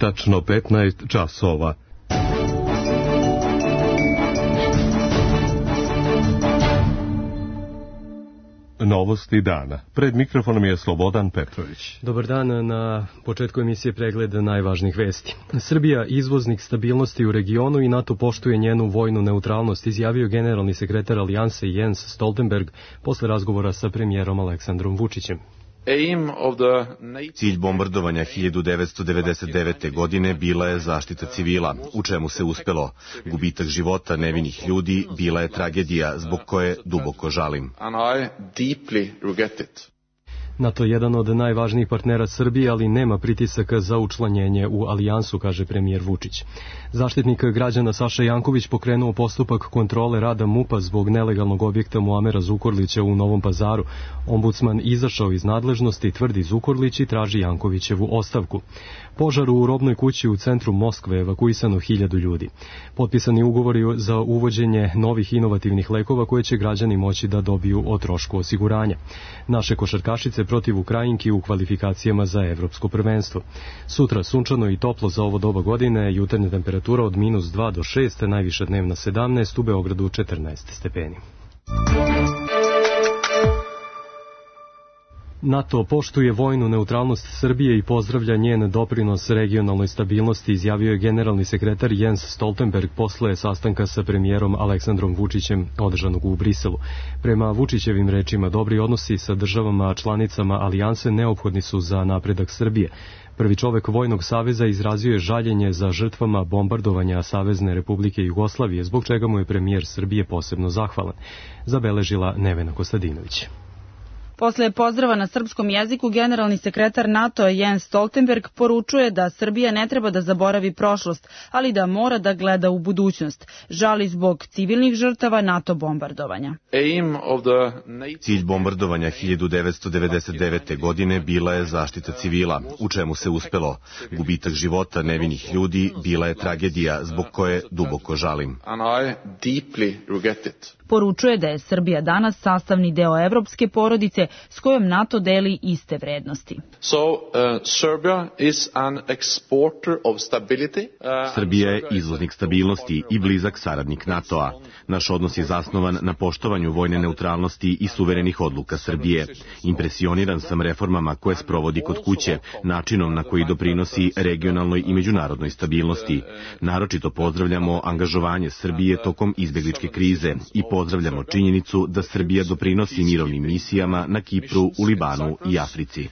tačno 15 časova. Novosti dana. Pred mikrofonom je Slobodan Petrović. Dobar dan, na početku emisije pregled najvažnijih vesti. Srbija izvoznik stabilnosti u regionu i NATO poštuje njenu vojnu neutralnost, izjavio generalni sekretar Alijanse Jens Stoltenberg posle razgovora sa premijerom Aleksandrom Vučićem. Cilj bombardovanja 1999. godine bila je zaštita civila, u čemu se uspelo. Gubitak života nevinih ljudi bila je tragedija zbog koje duboko žalim. NATO je jedan od najvažnijih partnera Srbije, ali nema pritisaka za učlanjenje u alijansu, kaže premijer Vučić. Zaštitnik građana Saša Janković pokrenuo postupak kontrole rada MUP-a zbog nelegalnog objekta Muamera Zukorlića u Novom Pazaru. Ombudsman izašao iz nadležnosti, tvrdi Zukorlić, i traži Jankovićevu ostavku. Požar u robnoj kući u centru Moskve, evakuisano 1000 ljudi. Potpisani ugovori za uvođenje novih inovativnih lekova koje će građani moći da dobiju o trošku osiguranja. Naše košarkašice protiv Ukrajinki u kvalifikacijama za evropsko prvenstvo. Sutra sunčano i toplo za ovo doba godine, jutarnja temperatura od -2 do 6, najviša dnevna 17, u Beogradu 14 stepeni. NATO poštuje vojnu neutralnost Srbije i pozdravlja njen doprinos regionalnoj stabilnosti, izjavio je generalni sekretar Jens Stoltenberg posle sastanka sa premijerom Aleksandrom Vučićem održanog u Briselu. Prema Vučićevim rečima, dobri odnosi sa državama članicama alijanse neophodni su za napredak Srbije. Prvi čovek Vojnog saveza izrazio je žaljenje za žrtvama bombardovanja Savezne Republike Jugoslavije, zbog čega mu je premijer Srbije posebno zahvalan, zabeležila Nevena Kostadinović. Posle pozdrava na srpskom jeziku, generalni sekretar NATO Jens Stoltenberg poručuje da Srbija ne treba da zaboravi prošlost, ali da mora da gleda u budućnost. Žali zbog civilnih žrtava NATO bombardovanja. Cilj bombardovanja 1999. godine bila je zaštita civila, u čemu se uspelo. Gubitak života nevinih ljudi bila je tragedija zbog koje duboko žalim. Poručuje da je Srbija danas sastavni deo evropske porodice s kojom NATO deli iste vrednosti. Srbija je izvoznik stabilnosti i blizak saradnik NATO-a. Naš odnos je zasnovan na poštovanju vojne neutralnosti i suverenih odluka Srbije. Impresioniran sam reformama koje sprovodi kod kuće, načinom na koji doprinosi regionalnoj i međunarodnoj stabilnosti. Naročito pozdravljamo angažovanje Srbije tokom izbegličke krize i pozdravljamo činjenicu da Srbija doprinosi mirovnim misijama na Kipru, u Libanu i Africi.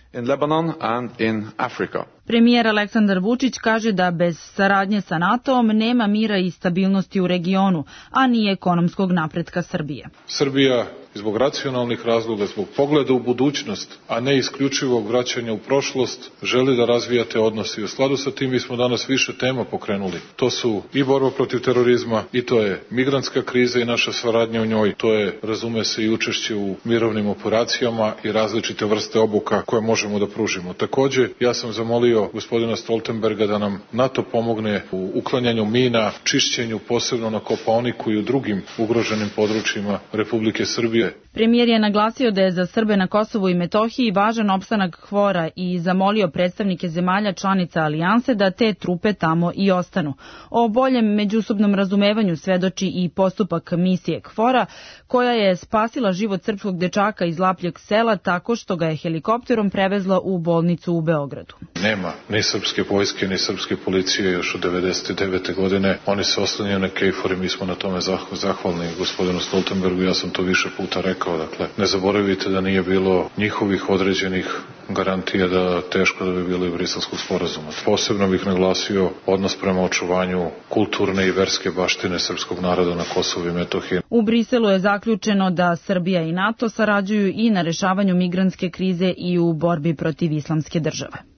Premijer Aleksandar Vučić kaže da bez saradnje sa NATO-om nema mira i stabilnosti u regionu, a ni ekonomskog napretka Srbije. Srbija zbog racionalnih razloga, zbog pogleda u budućnost, a ne isključivog vraćanja u prošlost, želi da razvija te odnose. I u skladu sa tim mi smo danas više tema pokrenuli. To su i borba protiv terorizma, i to je migrantska kriza i naša saradnja u njoj, to je, razume se, i učešće u mirovnim operacijama i različite vrste obuka koje možemo da pružimo. Takođe, ja sam zamolio gospodina Stoltenberga da nam NATO pomogne u uklanjanju mina, čišćenju posebno na Kopaoniku i u drugim ugroženim područjima Republike Srbije. Premijer je naglasio da je za Srbe na Kosovu i Metohiji važan opstanak KFOR-a i zamolio predstavnike zemalja članica alijanse da te trupe tamo i ostanu. O boljem međusobnom razumevanju svedoči i postupak misije KFOR-a, koja je spasila život srpskog dečaka iz Lapljeg sela tako što ga je helikopterom prevezla u bolnicu u Beogradu. Nema ni srpske vojske, ni srpske policije još od 1999. godine. Oni se oslanjaju na KFOR i mi smo na tome zahvalni gospodinu Stoltenbergu. Ja sam to više puta rekao. Dakle, ne zaboravite da nije bilo njihovih određenih garantija da teško da bi bilo i Briselskog sporazuma. Posebno bih naglasio odnos prema očuvanju kulturne i verske baštine srpskog naroda na Kosovu i Metohiji. U Briselu je zaključeno da Srbija i NATO sarađuju i na rešavanju migrantske krize i u borbi protiv islamske države.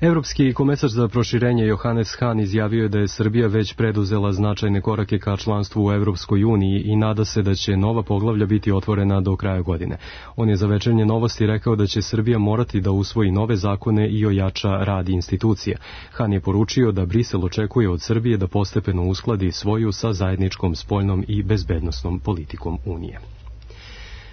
Evropski komesar za proširenje Johannes Hahn izjavio je da je Srbija već preduzela značajne korake ka članstvu u Evropskoj uniji i nada se da će nova poglavlja biti otvorena do kraja godine. On je za Večernje novosti rekao da će Srbija morati da usvoji nove zakone i ojača rad institucija. Hahn je poručio da Brisel očekuje od Srbije da postepeno uskladi svoju sa zajedničkom spoljnom i bezbednosnom politikom Unije.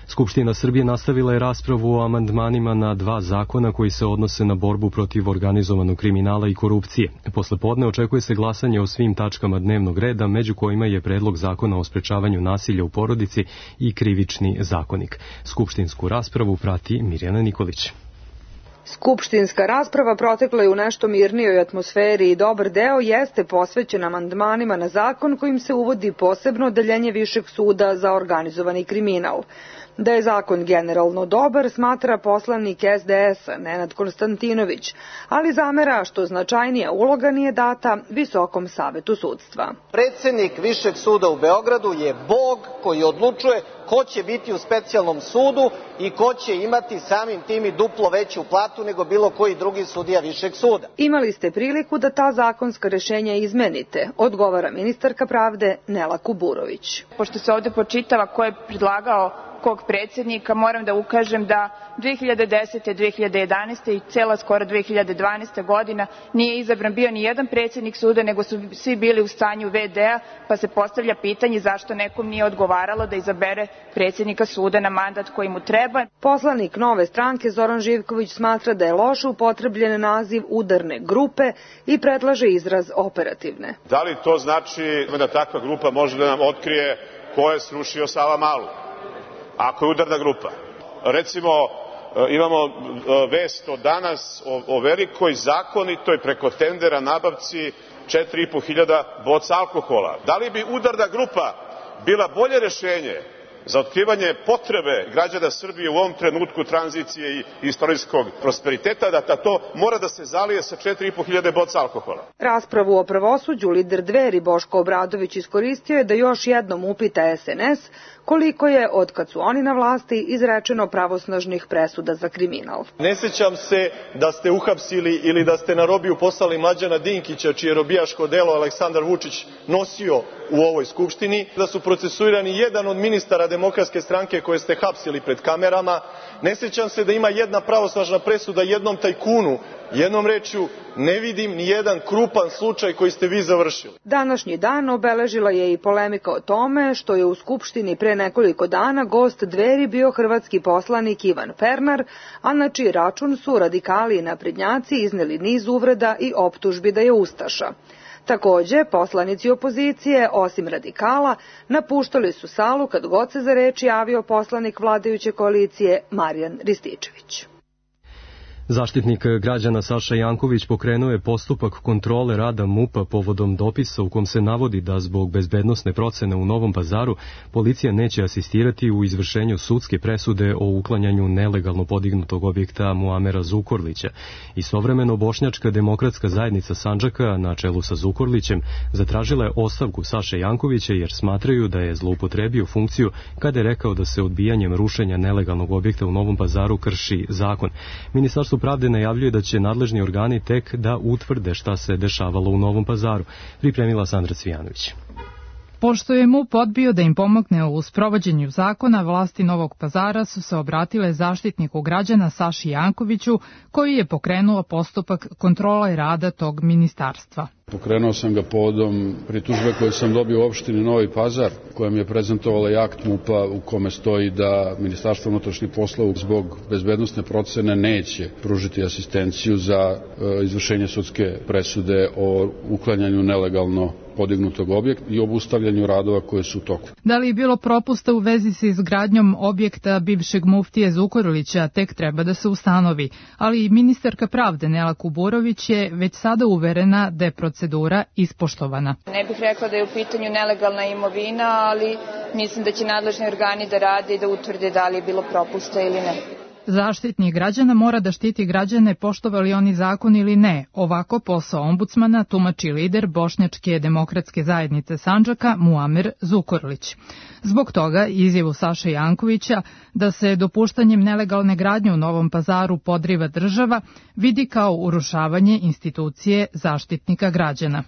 Skupština Srbije nastavila je raspravu o amandmanima na 2 zakona koji se odnose na borbu protiv organizovanog kriminala i korupcije. Posle podne očekuje se glasanje o svim tačkama dnevnog reda, među kojima je predlog zakona o sprečavanju nasilja u porodici i krivični zakonik. Skupštinsku raspravu prati Mirjana Nikolić. Skupštinska rasprava protekla je u nešto mirnijoj atmosferi i dobar deo jeste posvećen amandmanima na zakon kojim se uvodi posebno odeljenje Višeg suda za organizovani kriminal. Da je zakon generalno dobar, smatra poslanik SDS-a Nenad Konstantinović, ali zamera što značajnija uloga nije data Visokom savetu sudstva. Predsednik Višeg suda u Beogradu je Bog koji odlučuje ko će biti u specijalnom sudu i ko će imati samim tim i duplo veću platu nego bilo koji drugi sudija Višeg suda. Imali ste priliku da ta zakonska rešenja izmenite, odgovara ministarka pravde Nela Kuburović. Pošto se ovde počitava ko je predlagao kog predsednika, moram da ukažem da 2010. 2011. i cela skoro 2012. godina nije izabran bio ni jedan predsednik suda, nego su svi bili u stanju VD-a, pa se postavlja pitanje zašto nekom nije odgovaralo da izabere predsednika suda na mandat koji mu treba. Poslanik Nove stranke Zoran Živković smatra da je loše upotrebljen naziv udarne grupe i predlaže izraz operativne. Da li to znači da takva grupa može da nam otkrije ko je srušio Savamalu? Ako je udarna grupa. Recimo, imamo vest od danas o velikoj zakonitoj preko tendera nabavci 4.500 boca alkohola. Da li bi udarna grupa bila bolje rešenje za otkrivanje potrebe građana Srbije u ovom trenutku tranzicije i istorijskog prosperiteta, da to mora da se zalije sa 4.500 boca alkohola? Raspravu o pravosuđu lider Dveri Boško Obradović iskoristio je da još jednom upita SNS koliko je, od kad su oni na vlasti, izrečeno pravosnažnih presuda za kriminal. Ne sećam se da ste uhapsili ili da ste na robiju poslali Mlađana Dinkića, čije robijaško delo Aleksandar Vučić nosio u ovoj skupštini, da su procesuirani jedan od ministara Demokratske stranke koje ste hapsili pred kamerama. Ne sećam se da ima jedna pravosnažna presuda jednom tajkunu. Jednom rečju, ne vidim ni jedan krupan slučaj koji ste vi završili. Današnji dan obeležila je i polemika o tome što je u Skupštini pre nekoliko dana gost Dveri bio hrvatski poslanik Ivan Pernar, a na čiji račun su radikali i naprednjaci izneli niz uvreda i optužbi da je ustaša. Takođe, poslanici opozicije, osim radikala, napuštali su salu kad god se za reč javio poslanik vladajuće koalicije Marijan Rističević. Zaštitnik građana Saša Janković pokrenuo je postupak kontrole rada MUP-a povodom dopisa u kom se navodi da zbog bezbednosne procene u Novom Pazaru policija neće asistirati u izvršenju sudske presude o uklanjanju nelegalno podignutog objekta Muamera Zukorlića. Istovremeno Bošnjačka demokratska zajednica Sandžaka na čelu sa Zukorlićem zatražila je ostavku Saše Jankovića jer smatraju da je zloupotrebio funkciju kada je rekao da se odbijanjem rušenja nelegalnog objekta u Novom Pazaru krši zakon. Ministarstvo pravde najavljuje da će nadležni organi tek da utvrde šta se dešavalo u Novom Pazaru, pripremila Sandra Cvijanović. Pošto je MUP odbio da im pomogne u sprovođenju zakona, vlasti Novog Pazara su se obratile zaštitniku građana Saši Jankoviću, koji je pokrenuo postupak kontrole rada tog ministarstva. Pokrenuo sam ga povodom pritužbe koje sam dobio u opštini Novi Pazar, koja mi je prezentovala i akt MUP-a u kome stoji da Ministarstvo unutrašnjih poslova zbog bezbednosne procene neće pružiti asistenciju za izvršenje sudske presude o uklanjanju nelegalno podignutog objekta i obustavljanju radova koje su u toku. Da li je bilo propusta u vezi sa izgradnjom objekta bivšeg muftije Zukorlića, tek treba da se ustanovi, ali i ministarka pravde Nela Kuburović je već sada uverena da je procedura ispoštovana. Ne bih rekla da je u pitanju nelegalna imovina, ali mislim da će nadležni organi da rade i da utvrde da li je bilo propusta ili ne. Zaštitnik građana mora da štiti građane poštovali oni zakon ili ne. Ovako posao ombudsmana tumači lider Bošnjačke demokratske zajednice Sandžaka Muamer Zukorlić. Zbog toga izjavu Saše Jankovića da se dopuštanjem nelegalne gradnje u Novom Pazaru podriva država vidi kao urušavanje institucije zaštitnika građana.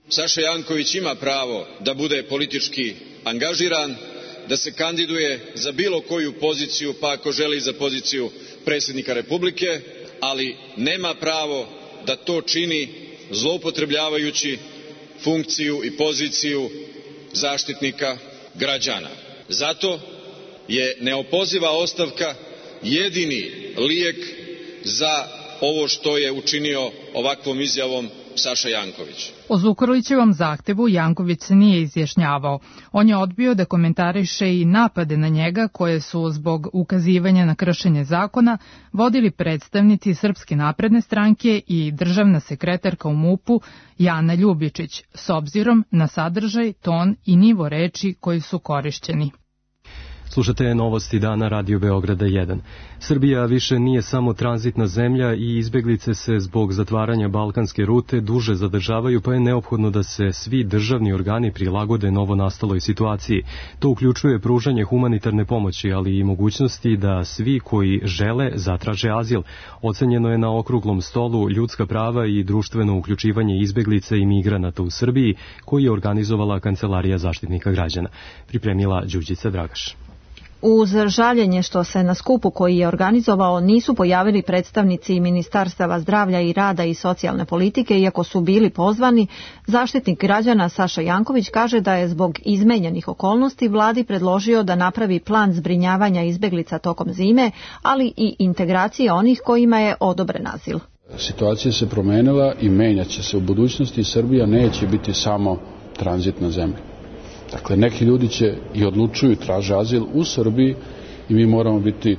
Saša Janković ima pravo da bude politički angažiran, da se kandiduje za bilo koju poziciju, pa ako želi za poziciju predsjednika Republike, ali nema pravo da to čini zloupotrebljavajući funkciju i poziciju zaštitnika građana. Zato je neopoziva ostavka jedini lijek za ovo što je učinio ovakvom izjavom Saša Janković. O Zukorlićevom zahtevu Janković se nije izjašnjavao. On je odbio da komentariše i napade na njega koje su zbog ukazivanja na kršenje zakona vodili predstavnici Srpske napredne stranke i državna sekretarka u MUP-u Jana Ljubičić, s obzirom na sadržaj, ton i nivo reči koji su korišćeni. Slušate novosti dana Radio Beograda 1. Srbija više nije samo tranzitna zemlja i izbeglice se zbog zatvaranja balkanske rute duže zadržavaju, pa je neophodno da se svi državni organi prilagode novonastaloj situaciji. To uključuje pružanje humanitarne pomoći, ali i mogućnosti da svi koji žele zatraže azil. Ocenjeno je na okruglom stolu ljudska prava i društveno uključivanje izbeglica i migranata u Srbiji, koji je organizovala Kancelarija Zaštitnika građana. Pripremila Đurđica Dragaš. Uz žaljenje što se na skupu koji je organizovao nisu pojavili predstavnici Ministarstava zdravlja i rada i socijalne politike, iako su bili pozvani, Zaštitnik građana Saša Janković kaže da je zbog izmenjenih okolnosti vladi predložio da napravi plan zbrinjavanja izbeglica tokom zime, ali i integracije onih kojima je odobren azil. Situacija se promenila i menjaće se u budućnosti. Srbija neće biti samo tranzitna zemlja. Dakle, neki ljudi će i odlučuju i traže azil u Srbiji i mi moramo biti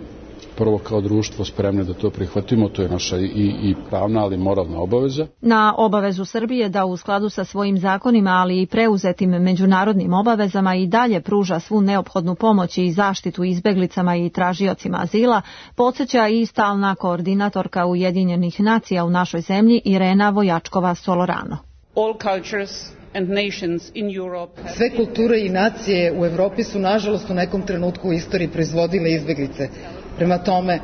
prvo kao društvo spremni da to prihvatimo, to je naša i pravna, ali moralna obaveza. Na obavezu Srbije da u skladu sa svojim zakonima, ali i preuzetim međunarodnim obavezama i dalje pruža svu neophodnu pomoć i zaštitu izbeglicama i tražiocima azila, podsjeća i stalna koordinatorka Ujedinjenih nacija u našoj zemlji Irena Vojačkova-Solorano. All cultures and nations in Europe. Sve kulture i nacije u Evropi su nažalost u nekom trenutku u istoriji proizvodile izbeglice. Prema tome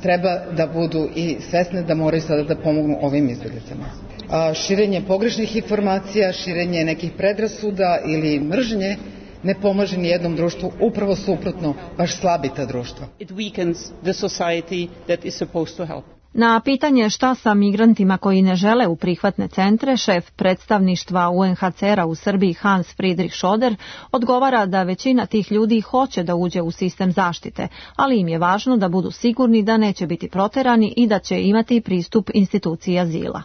treba da budu i svesne da moraju sada da pomognu ovim izbeglicama. Širenje pogrešnih informacija, širenje nekih predrasuda ili mržnje ne pomaže ni jednom društvu, upravo suprotno, baš slabi ta društva. It weakens the society that is supposed to help. Na pitanje šta sa migrantima koji ne žele u prihvatne centre, šef predstavništva UNHCR-a u Srbiji Hans Friedrich Schoder odgovara da većina tih ljudi hoće da uđe u sistem zaštite, ali im je važno da budu sigurni da neće biti proterani i da će imati pristup instituciji azila.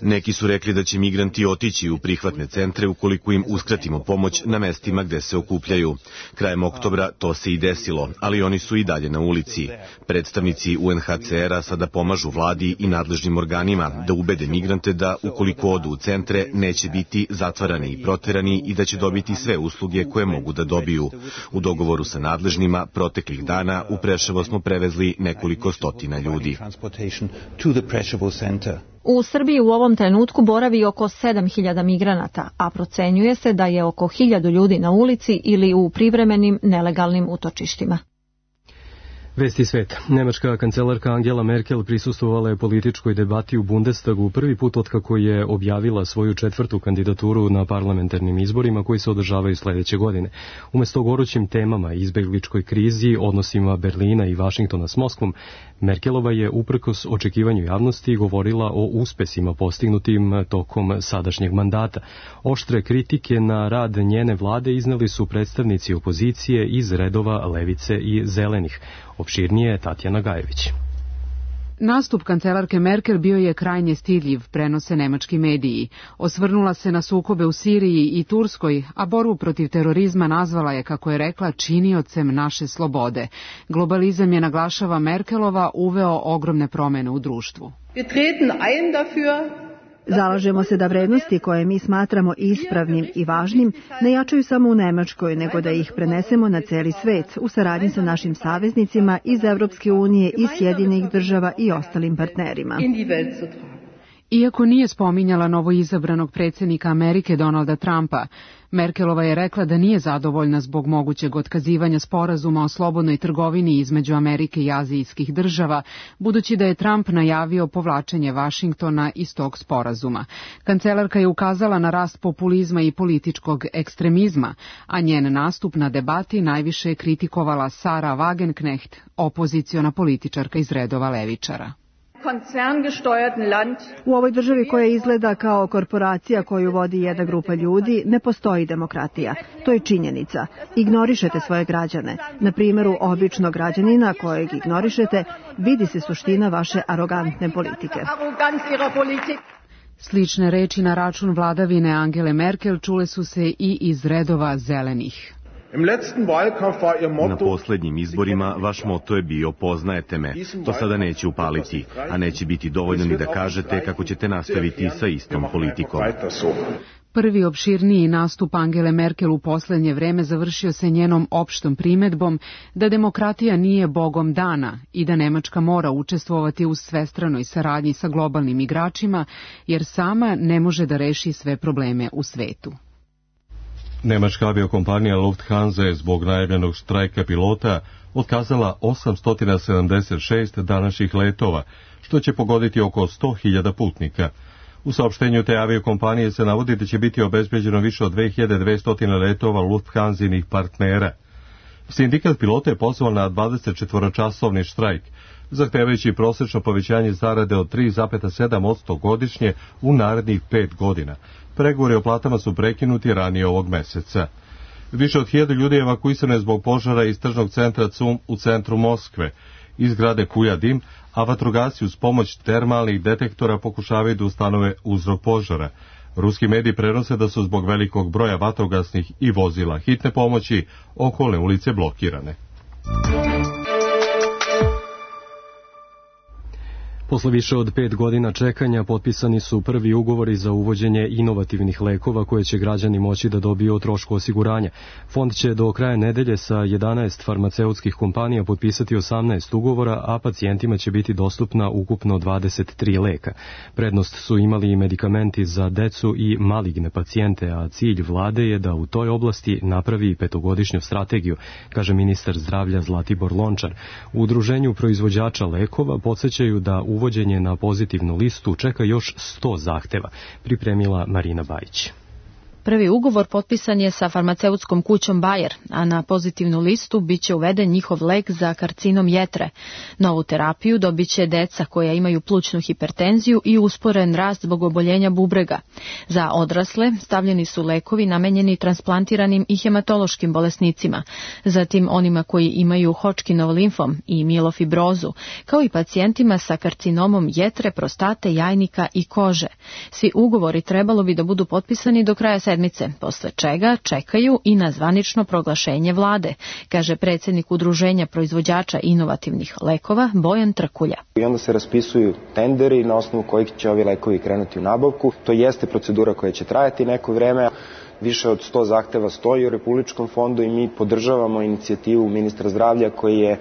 Neki su rekli da će migranti otići u prihvatne centre ukoliko im uskratimo pomoć na mestima gde se okupljaju. Krajem oktobra to se i desilo, ali oni su i dalje na ulici. Predstavnici UNHCR-a sada pomažu vladi i nadležnim organima da ubede migrante da ukoliko odu u centre neće biti zatvarani i proterani i da će dobiti sve usluge koje mogu da dobiju. U dogovoru sa nadležnima proteklih dana u Preševo smo prevezli nekoliko stotina ljudi. U Srbiji u ovom trenutku boravi oko 7.000 migranata, a procenjuje se da je oko 1.000 ljudi na ulici ili u privremenim nelegalnim utočištima. Vesti sveta. Nemačka kancelarka Angela Merkel prisustvovala je političkoj debati u Bundestagu prvi put otkako je objavila svoju 4. kandidaturu na parlamentarnim izborima koji se održavaju sledeće godine. Umesto gorućim temama, izbegličkoj krizi, odnosima Berlina i Vašingtona s Moskvom, Merkelova je uprkos očekivanju javnosti govorila o uspesima postignutim tokom sadašnjeg mandata. Oštre kritike na rad njene vlade izneli su predstavnici opozicije iz redova Levice i Zelenih. Opširnije Tatjana Gajević. Nastup kancelarke Merkel bio je krajnje stidljiv, prenose nemački mediji. Osvrnula se na sukobe u Siriji i Turskoj, a borbu protiv terorizma nazvala je, kako je rekla, činiocem naše slobode. Globalizam je, naglašava Merkelova, uveo ogromne promene u društvu. Zalažemo se da vrednosti koje mi smatramo ispravnim i važnim ne jačaju samo u Nemačkoj, nego da ih prenesemo na celi svet u saradnji sa našim saveznicima iz Evropske unije i Sjedinjenih država i ostalim partnerima. Iako nije spominjala novoizabranog predsjednika Amerike Donalda Trumpa, Merkelova je rekla da nije zadovoljna zbog mogućeg otkazivanja sporazuma o slobodnoj trgovini između Amerike i azijskih država, budući da je Trump najavio povlačenje Vašingtona iz tog sporazuma. Kancelarka je ukazala na rast populizma i političkog ekstremizma, a njen nastup na debati najviše je kritikovala Sara Wagenknecht, opoziciona političarka iz redova levičara. U ovoj državi koja izgleda kao korporacija koju vodi jedna grupa ljudi, ne postoji demokratija. To je činjenica. Ignorišete svoje građane. Na primjeru običnog građanina kojeg ignorišete, vidi se suština vaše arogantne politike. Slične reči na račun vladavine Angele Merkel čule su se i iz redova zelenih. Na poslednjim izborima vaš moto je bio poznajete me. To sada neće upaliti, a neće biti dovoljno ni da kažete kako ćete nastaviti sa istom politikom. Prvi opširniji nastup Angele Merkel u poslednje vreme završio se njenom opštom primedbom da demokratija nije bogom dana i da Nemačka mora učestvovati u svestranoj saradnji sa globalnim igračima, jer sama ne može da reši sve probleme u svetu. Nemačka aviokompanija Lufthansa je zbog najavljenog štrajka pilota otkazala 876 današnjih letova, što će pogoditi oko 100.000 putnika. U saopštenju te aviokompanije se navodi da će biti obezbeđeno više od 2200 letova Lufthansinih partnera. Sindikat pilota je pozvao na 24-časovni štrajk, zahtevajući prosečno povećanje zarade od 3,7% godišnje u narednih 5 godina. Pregovori o platama su prekinuti ranije ovog meseca. Više od 1000 ljudi je evakuisano zbog požara iz tržnog centra CUM u centru Moskve. Iz zgrade kuja dim, a vatrogasci uz pomoć termalnih detektora pokušavaju da ustanove uzrok požara. Ruski mediji prenose da su zbog velikog broja vatrogasnih i vozila hitne pomoći okolne ulice blokirane. Posle više od 5 godina čekanja potpisani su prvi ugovori za uvođenje inovativnih lekova koje će građani moći da dobiju o trošku osiguranja. Fond će do kraja nedelje sa 11 farmaceutskih kompanija potpisati 18 ugovora, a pacijentima će biti dostupna ukupno 23 leka. Prednost su imali i medikamenti za decu i maligne pacijente, a cilj vlade je da u toj oblasti napravi 5-godišnju strategiju, kaže ministar zdravlja Zlatibor Lončar. U udruženju proizvođača lekova podsećaju da uvođenje na pozitivnu listu čeka još 100 zahteva, pripremila Marina Bajić. Prvi ugovor potpisan je sa farmaceutskom kućom Bayer, a na pozitivnu listu biće uveden njihov lek za karcinom jetre. Novu terapiju dobiće deca koja imaju plućnu hipertenziju i usporen rast zbog oboljenja bubrega. Za odrasle stavljeni su lekovi namenjeni transplantiranim i hematološkim bolesnicima, zatim onima koji imaju Hodgkinov limfom i mielofibrozu, kao i pacijentima sa karcinomom jetre, prostate, jajnika i kože. Svi ugovori trebalo bi da budu potpisani do kraja sedmice, posle čega čekaju i na zvanično proglašenje vlade, kaže predsjednik Udruženja proizvođača inovativnih lekova Bojan Trkulja. I onda se raspisuju tenderi na osnovu kojih će ovi lekovi krenuti u nabavku. To jeste procedura koja će trajati neko vreme. Više od 100 zahteva stoji u Republičkom fondu i mi podržavamo inicijativu ministra zdravlja koji je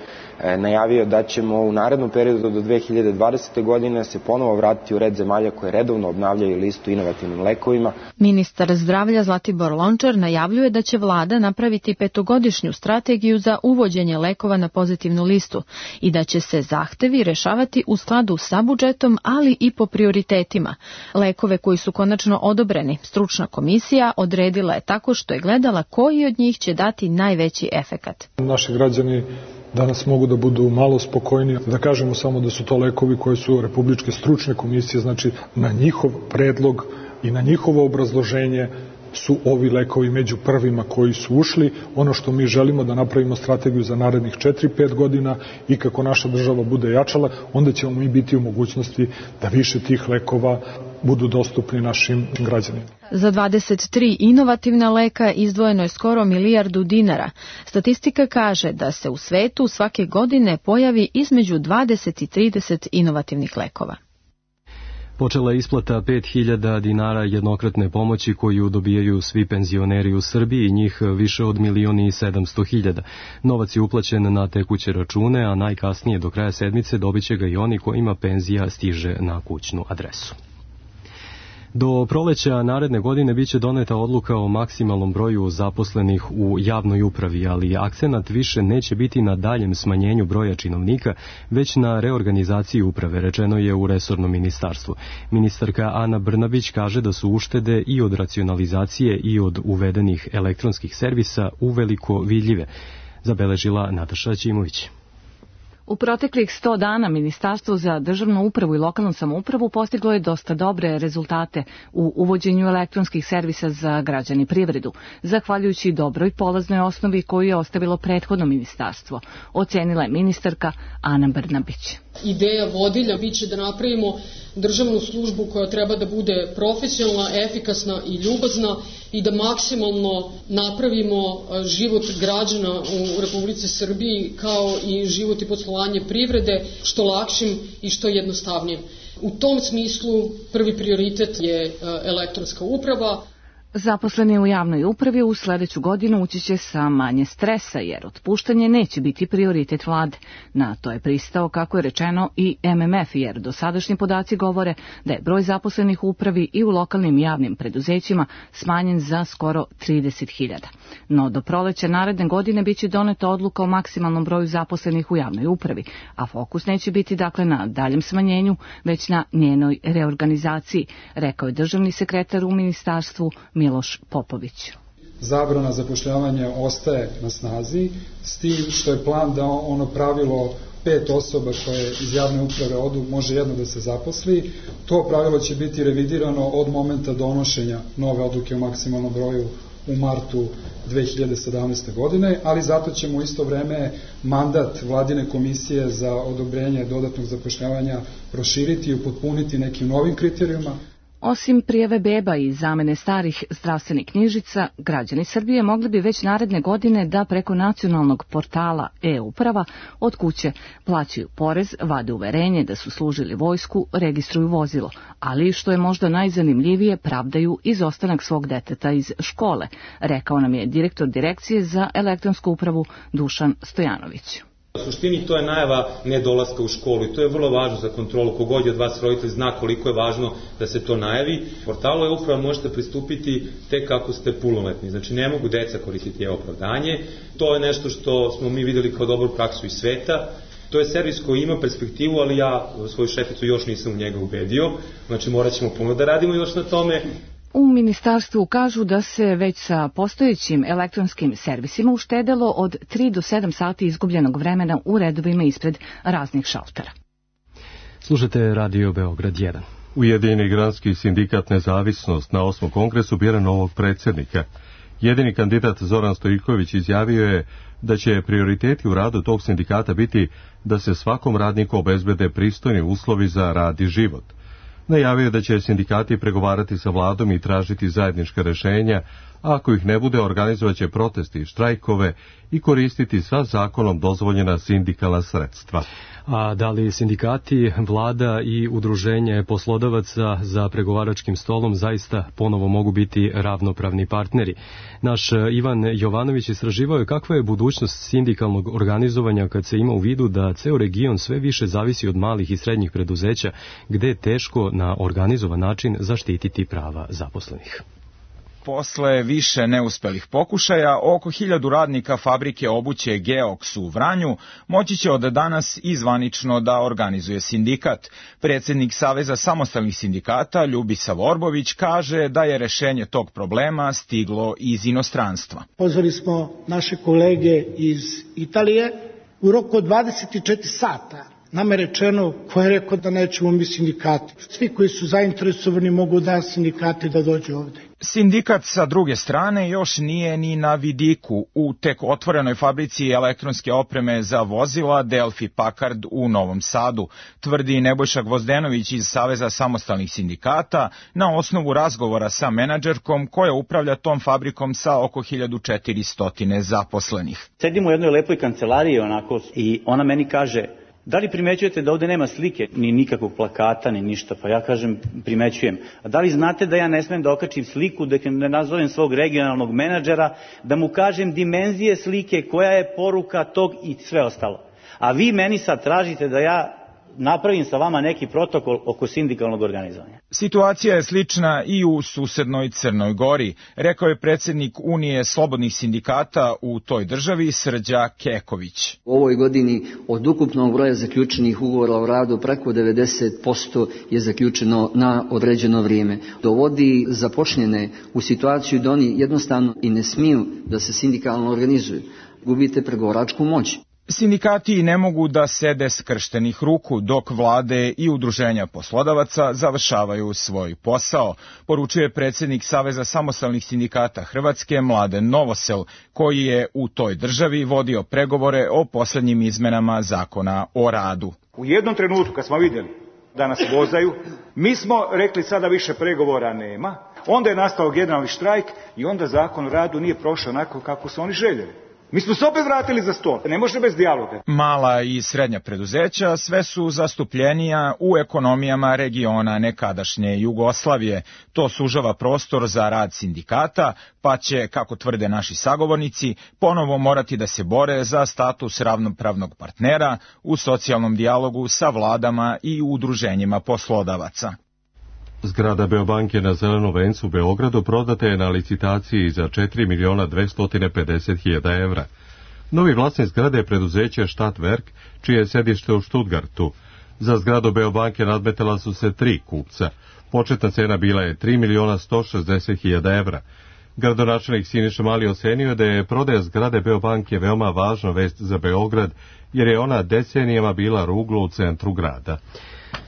najavio da ćemo u narednom periodu do 2020. godine se ponovo vratiti u red zemalja koje redovno obnavljaju listu inovativnim lekovima. Ministar zdravlja Zlatibor Lončar najavljuje da će vlada napraviti 5-godišnju strategiju za uvođenje lekova na pozitivnu listu i da će se zahtevi rešavati u skladu sa budžetom, ali i po prioritetima. Lekove koji su konačno odobreni, stručna komisija odredila je tako što je gledala koji od njih će dati najveći efekat. Naši građani danas mogu da budu malo spokojniji, da kažemo samo da su to lekovi koje su Republičke stručne komisije, znači na njihov predlog i na njihovo obrazloženje su ovi lekovi među prvima koji su ušli. Ono što mi želimo da napravimo strategiju za narednih 4-5 godina i kako naša država bude jačala, onda ćemo mi biti u mogućnosti da više tih lekova budu dostupni našim građanima. Za 23 inovativna leka izdvojeno je skoro milijardu dinara. Statistika kaže da se u svetu svake godine pojavi između 20 i 30 inovativnih lekova. Počela je isplata 5.000 dinara jednokratne pomoći koju dobijaju svi penzioneri u Srbiji, njih više od 1.700.000. Novac je uplaćen na tekuće račune, a najkasnije do kraja sedmice dobit će ga i oni kojima penzija stiže na kućnu adresu. Do proleća naredne godine biće doneta odluka o maksimalnom broju zaposlenih u javnoj upravi, ali akcenat više neće biti na daljem smanjenju broja činovnika, već na reorganizaciji uprave, rečeno je u resornom ministarstvu. Ministarka Ana Brnabić kaže da su uštede i od racionalizacije i od uvedenih elektronskih servisa uveliko vidljive, zabeležila Nataša Ćimović. U proteklih 100 dana Ministarstvo za državnu upravu i lokalnu samoupravu postiglo je dosta dobre rezultate u uvođenju elektronskih servisa za građane i privredu, zahvaljujući dobroj polaznoj osnovi koju je ostavilo prethodno ministarstvo, ocenila je ministarka Ana Brnabić. Ideja vodilja biće da napravimo državnu službu koja treba da bude profesionalna, efikasna i ljubazna i da maksimalno napravimo život građana u Republici Srbiji kao i život i poslovanje privrede što lakšim i što jednostavnijim. U tom smislu prvi prioritet je elektronska uprava. Zaposleni u javnoj upravi u sledeću godinu ući će sa manje stresa, jer otpuštanje neće biti prioritet vlade. Na to je pristao, kako je rečeno, i MMF, jer dosadašnji podaci govore da je broj zaposlenih u upravi i u lokalnim javnim preduzećima smanjen za skoro 30.000. No do proleća naredne godine biće doneta odluka o maksimalnom broju zaposlenih u javnoj upravi, a fokus neće biti dakle na daljem smanjenju, već na njenoj reorganizaciji, rekao je državni sekretar u ministarstvu Miloš Popović. Zabrana zapošljavanja ostaje na snazi, s tim što je plan da ono pravilo 5 osoba koje iz javne uprave odu može jedno da se zaposli. To pravilo će biti revidirano od momenta donošenja nove odluke o maksimalnom broju u martu 2017. godine, ali zato ćemo u isto vreme mandat vladine komisije za odobrenje dodatnog zapošljavanja proširiti i upotpuniti nekim novim kriterijuma. Osim prijave beba i zamene starih zdravstvenih knjižica, građani Srbije mogli bi već naredne godine da preko nacionalnog portala e-uprava od kuće plaćaju porez, vade uverenje da su služili vojsku, registruju vozilo, ali što je možda najzanimljivije, pravdaju izostanak svog deteta iz škole, rekao nam je direktor Direkcije za elektronsku upravu Dušan Stojanović. U suštini to je najava nedolaska u školu i to je vrlo važno za kontrolu. Kogod je od vas roditelj zna koliko je važno da se to najavi. Portalu e-uprava možete pristupiti tek ako ste punoletni. Znači ne mogu deca koristiti e-opravdanje. To je nešto što smo mi videli kao dobru praksu iz sveta. To je servis koji ima perspektivu, ali ja svoju šeficu još nisam u njega ubedio. Znači morat ćemo puno da radimo još na tome. U ministarstvu kažu da se već sa postojećim elektronskim servisima uštedelo od 3 do 7 sati izgubljenog vremena u redovima ispred raznih šaltera. Slušate Radio Beograd 1. Ujedinjeni granski sindikat Nezavisnost na 8. kongresu bira novog predsjednika. Jedini kandidat Zoran Stojiković izjavio je da će prioriteti u radu tog sindikata biti da se svakom radniku obezbede pristojni uslovi za rad i život. Najavio je da će sindikati pregovarati sa vladom i tražiti zajednička rešenja, a ako ih ne bude, organizovaće protesti i štrajkove i koristiti sva zakonom dozvoljena sindikalna sredstva. A da li sindikati, vlada i udruženje poslodavaca za pregovaračkim stolom zaista ponovo mogu biti ravnopravni partneri? Naš Ivan Jovanović istraživao je kakva je budućnost sindikalnog organizovanja kad se ima u vidu da ceo region sve više zavisi od malih i srednjih preduzeća, gde je teško na organizovan način zaštititi prava zaposlenih. Posle više neuspelih pokušaja, oko 1000 radnika fabrike obuće Geox u Vranju moći će od danas i zvanično da organizuje sindikat. Predsjednik Saveza samostalnih sindikata Ljubisa Vorbović kaže da je rešenje tog problema stiglo iz inostranstva. Pozvali smo naše kolege iz Italije u roku od 24 sata. Nama je rečeno, ko je rekao da nećemo mi sindikati. Svi koji su zainteresovani mogu da sindikati da dođu ovde. Sindikat sa druge strane još nije ni na vidiku u tek otvorenoj fabrici elektronske opreme za vozila Delfi Packard u Novom Sadu, tvrdi Nebojša Gvozdenović iz Saveza samostalnih sindikata na osnovu razgovora sa menadžerkom koja upravlja tom fabrikom sa oko 1400 zaposlenih. Sedim u jednoj lepoj kancelariji onako i ona meni kaže: da li primećujete da ovde nema slike, ni nikakvog plakata, ni ništa? Pa ja kažem, primećujem. A da li znate da ja ne smem da okačim sliku, da ne nazovem svog regionalnog menadžera, da mu kažem dimenzije slike, koja je poruka tog i sve ostalo? A vi meni sad tražite da ja napravim sa vama neki protokol oko sindikalnog organizovanja. Situacija je slična i u susednoj Crnoj Gori, rekao je predsjednik Unije slobodnih sindikata u toj državi Srđa Keković. U ovoj godini od ukupnog broja zaključenih ugovora o radu preko 90% je zaključeno na određeno vrijeme. Dovodi započnjene u situaciju da oni jednostavno i ne smiju da se sindikalno organizuju. Gubite pregovaračku moć. Sindikati ne mogu da sede skrštenih ruku dok vlade i udruženja poslodavaca završavaju svoj posao, poručuje predsjednik Saveza samostalnih sindikata Hrvatske Mladen Novosel, koji je u toj državi vodio pregovore o posljednjim izmenama zakona o radu. U jednom trenutku kad smo vidjeli da nas vozaju, mi smo rekli sada više pregovora nema, onda je nastao generalni štrajk i onda zakon o radu nije prošao onako kako su oni željeli. Mi smo se opet vratili za stol, ne može bez dijaloga. Mala i srednja preduzeća sve su zastupljenija u ekonomijama regiona nekadašnje Jugoslavije. To sužava prostor za rad sindikata, pa će, kako tvrde naši sagovornici, ponovo morati da se bore za status ravnopravnog partnera u socijalnom dijalogu sa vladama i udruženjima poslodavaca. Zgrada Beobanke na Zelenom vencu u Beogradu prodata je na licitaciji za 4.250.000 evra. Novi vlasnik zgrade je preduzeće Stadtwerk, čije je sedište u Stuttgartu. Za zgradu Beobanke nadmetala su se 3 kupca. Početna cena bila je 3.160.000 evra. Gradonačelnik Siniša Mali ocenio da je prodaja zgrade Beobanke veoma važna vest za Beograd, jer je ona decenijama bila ruglo u centru grada.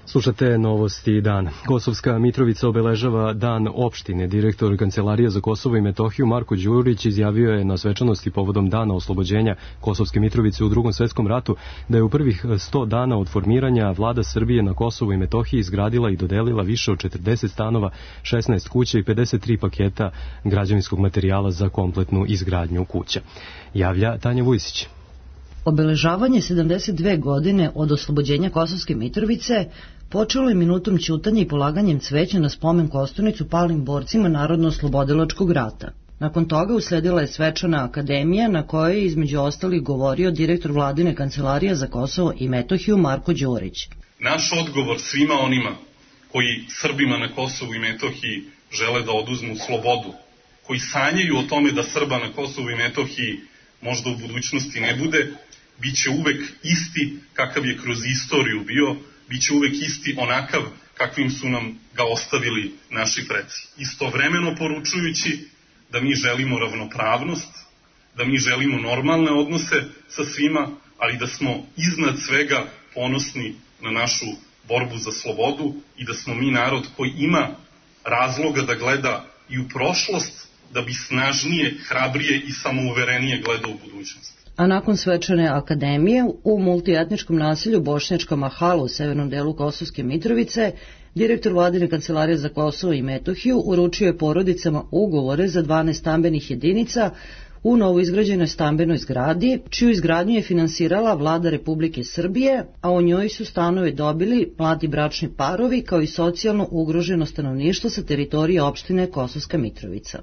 Slušate novosti dan. Kosovska Mitrovica obeležava dan opštine. Direktor Kancelarije za Kosovo i Metohiju Marko Đurić izjavio je na svečanosti povodom dana oslobođenja Kosovske Mitrovice u Drugom svetskom ratu da je u prvih 100 dana od formiranja vlada Srbije na Kosovu i Metohiji izgradila i dodelila više od 40 stanova, 16 kuća i 53 paketa građevinskog materijala za kompletnu izgradnju kuća. Javlja Tanja Vujsić. Obeležavanje 72 godine od oslobođenja Kosovske Mitrovice počelo je minutom ćutanja i polaganjem cveća na spomen kosturnicu palim borcima Narodno-oslobodilačkog rata. Nakon toga usledila je svečana akademija na kojoj je između ostalih govorio direktor Vladine Kancelarije za Kosovo i Metohiju Marko Đurić. Naš odgovor svima onima koji Srbima na Kosovu i Metohiji žele da oduzmu slobodu, koji sanjaju o tome da Srba na Kosovu i Metohiji možda u budućnosti ne bude, bit će uvek isti kakav je kroz istoriju bio, bit će uvek isti onakav kakvim su nam ga ostavili naši preci. Istovremeno poručujući da mi želimo ravnopravnost, da mi želimo normalne odnose sa svima, ali da smo iznad svega ponosni na našu borbu za slobodu i da smo mi narod koji ima razloga da gleda i u prošlost, da bi snažnije, hrabrije i samouverenije gledao u budućnost. A nakon svečane akademije u multietničkom naselju Bošnjačka Mahala u severnom delu Kosovske Mitrovice, direktor Vladine Kancelarije za Kosovo i Metohiju uručio je porodicama ugovore za 12 stambenih jedinica u novoizgrađenoj stambenoj zgradi, čiju izgradnju je finansirala Vlada Republike Srbije, a u njoj su stanove dobili mladi bračni parovi kao i socijalno ugroženo stanovništvo sa teritorije opštine Kosovska Mitrovica.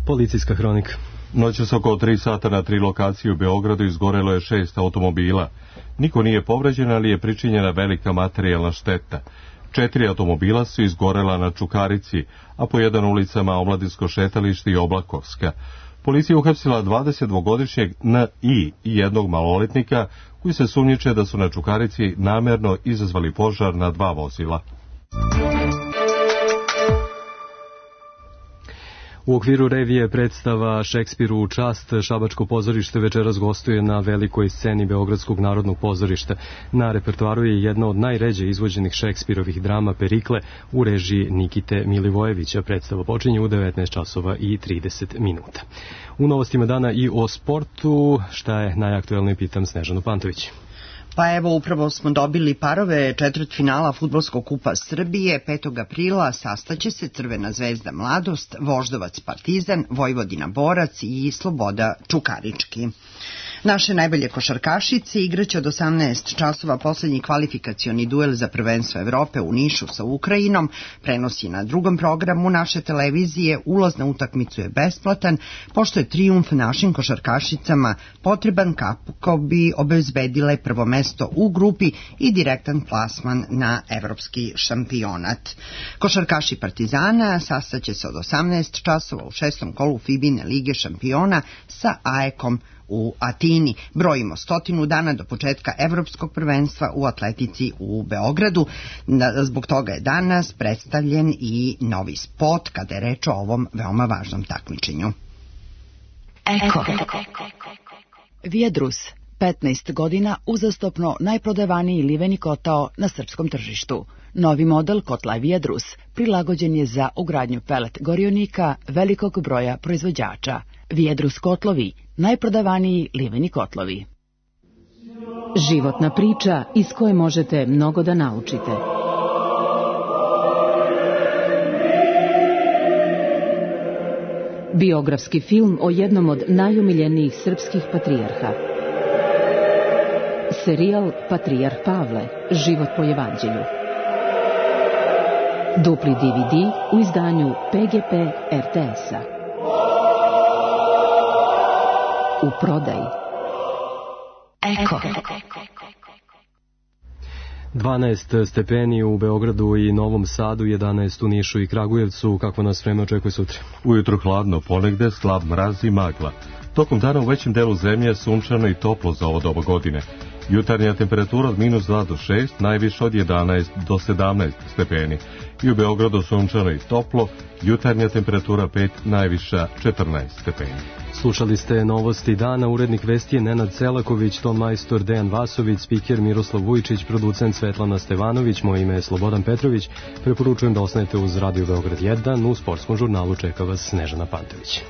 Policijska hronika. Noćas oko 3 sata na 3 lokacije u Beogradu izgorelo je 6 automobila. Niko nije povređen, ali je pričinjena velika materijalna šteta. 4 automobila su izgorela na Čukarici, a po jedan ulicama Omladinsko šetalište i Oblakovska. Policija je uhapsila 22-godišnjeg N.I. i jednog maloletnika koji se sumnjiče da su na Čukarici namerno izazvali požar na 2 vozila. U okviru revije predstava Šekspiru u čast, Šabačko pozorište večeras gostuje na velikoj sceni Beogradskog narodnog pozorišta. Na repertoaru je jedna od najređe izvođenih Šekspirovih drama Perikle u režiji Nikite Milivojevića. Predstava počinje u 19:30. U novostima dana i o sportu, šta je najaktuelnije, pitam Snežanu Pantović. Pa evo, upravo smo dobili parove četvrtfinala Fudbalskog kupa Srbije. 5. aprila sastaće se Crvena zvezda Mladost, Voždovac Partizan, Vojvodina Borac i Sloboda Čukarički. Naše najbolje košarkašice igraće od 18 časova poslednji kvalifikacioni duel za prvenstvo Evrope u Nišu sa Ukrajinom. Prenos je na drugom programu naše televizije. Ulaz na utakmicu je besplatan, pošto je trijumf našim košarkašicama potreban kako bi obezbedile prvo mesto u grupi i direktan plasman na evropski šampionat. Košarkaši Partizana sastaće se od 18 časova u 6. kolu Fibine Lige šampiona sa AEK-om u Atini. Brojimo 100 dana do početka evropskog prvenstva u atletici u Beogradu. Zbog toga je danas predstavljen i novi spot kada je reč o ovom veoma važnom takmičenju. Eko. Viadrus. 15 godina uzastopno najprodavaniji liveni kotao na srpskom tržištu. Novi model kotla Viedrus prilagođen je za ugradnju pelet gorionika velikog broja proizvođača. Viedrus kotlovi, najprodavaniji liveni kotlovi. Životna priča iz koje možete mnogo da naučite. Biografski film o jednom od najomiljenijih srpskih patrijarha. Serijal Patrijarh Pavle, život po evanđelju. Dupli DVD u izdanju PGP RTS-a. U prodaji. Eko. 12 stepeni u Beogradu i Novom Sadu, 11 u Nišu i Kragujevcu. Kako nas vreme očekuje sutra? Ujutru hladno, ponegde slab mraz i magla. Tokom dana u većem delu zemlje sunčano i toplo za ovo doba godine. Jutarnja temperatura od -2 do 6, najviše od 11 do 17 stepeni. I u Beogradu sunčano i toplo, jutarnja temperatura 5, najviša 14 stepeni. Slušali ste novosti dana, urednik vesti je Nenad Celaković, ton majstor Dejan Vasović, spiker Miroslav Vujčić, producent Svetlana Stevanović, moje ime je Slobodan Petrović. Preporučujem da ostanete uz Radio Beograd 1, u sportskom žurnalu čeka vas Snežana Pantović.